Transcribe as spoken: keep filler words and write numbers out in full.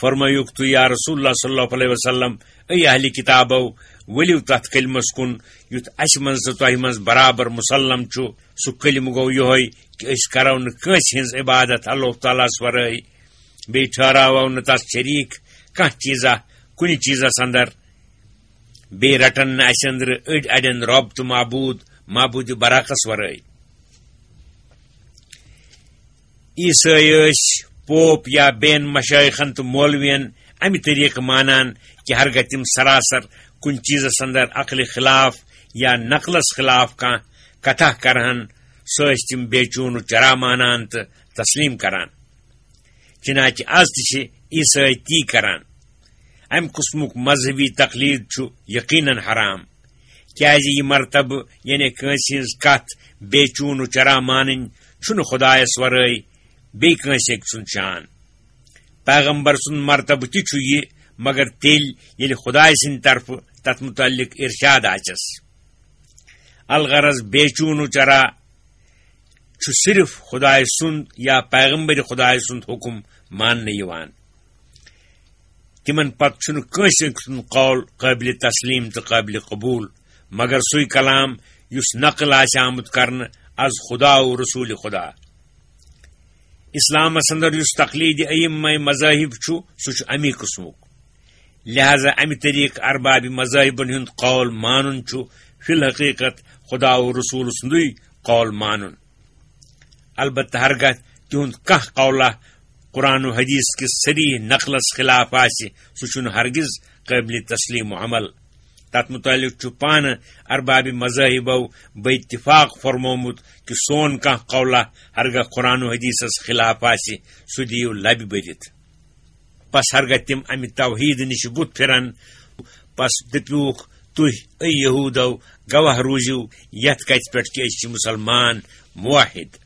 فرمٲیُکھ تُہۍ، یا رسول اللہ صلی اللہ علیہ وسلم، اے اہلِ کتابو، ؤلِو تتھ کلمس کُن یُتھ اسہِ منٛز تہٕ تۄہہِ منٛز برابر مسلم چھُ۔ سُہ کلمہٕ گوٚو یِہوٚے کہِ أسۍ کرو نہٕ کٲنٛسہِ ہٕنٛز عبادت اللہ تعالیٰ ہس ورٲے، بیٚیہِ ٹھہراوو نہٕ تس شریٖک کانٛہہ چیٖزا کُنہِ چیٖزس اندر، بیٚیہِ رٹن نہٕ اسہِ أنٛدرٕ أڑۍ اڑٮ۪ن رۄب تہٕ معبوٗد، معبوٗدِ برحقس ورٲے۔ عیسٲے ٲسۍ پوپ یا بین مشایخن تہٕ مولوین امہِ طریقہٕ مانان کہِ ہرگاہ تِم سراسر کُنہِ چیٖزس اندر عقلہِ خلاف یا نقلس خلاف کانٛہہ کتھا کرہن، سُہ ٲسۍ تِم بے چون و چرا مانان تہٕ تسلیم کران۔ چنانچہ از تہِ چھِ عیسٲے تی کران۔ امہِ قٕسمُک مذہبی تقلید چھُ یقیناً حرام، کیازِ یہِ مرتبہٕ، یعنی کٲنٛسہِ ہٕنٛز کتھ بے چون و چرا مانٕنۍ، چھُنہٕ خدایس ورٲے بیٚیہِ کٲنٛسہِ أکۍ سُنٛد شان۔ پیغمبر سُنٛد مرتبہٕ تہِ چھُ یہِ، مگر تیٚلہِ ییٚلہِ خدایہِ سٕنٛدِ طرفہٕ تتھ متعلق ارشاد آسٮ۪س۔ الغرض، بے چون و چرا چھُ صرف خدایہِ سُنٛد یا پیغمبر خدایہِ سُنٛد حکم ماننہٕ یِوان۔ تِمن پتہٕ چھُنہٕ کٲنٛسہِ أکۍ سُنٛد قول قٲبلِ تسلیم تہٕ قٲبلِ قبول، مگر سُے کلام یُس نقل آسہِ آمُت کرنہٕ از خدا و رسول خدا۔ اسلامس اندر یُس تقلید ائمہ مذاہب چھُ، سُہ چھُ امی قٕسمُک۔ لہذا امہِ طریقہٕ ارباب مذاہبن ہُنٛد قول مانُن چھُ فی الحقیقت خدا و رسول سُنٛدُے قول مانُن۔ البتہ ہرگاہ تِہُنٛد کانٛہہ قولہ قرآن و حدیث کِس صریح نقلس خلاف آسہِ، سُہ چھُنہٕ ہرگز قٲبلِ تسلیم و عمل۔ تتھ متعلق چھُ پانہٕ ارباب مذاہبو بے اتفاق فرمومُت کہِ سون کانٛہہ قولہ ہرگاہ قرآن و حدیثس خلاف آسہِ، سُہ دِیِو لبہِ بٔرِتھ۔ پس ہرگاہ تِم امہِ توحید نِش بُتھ پھِرن، پس دٔپِوکھ، تُہۍ، اے یہودو، گواہ روٗزِو یتھ کتھِ پٮ۪ٹھ کہِ أسۍ چھِ مسلمان، موحد۔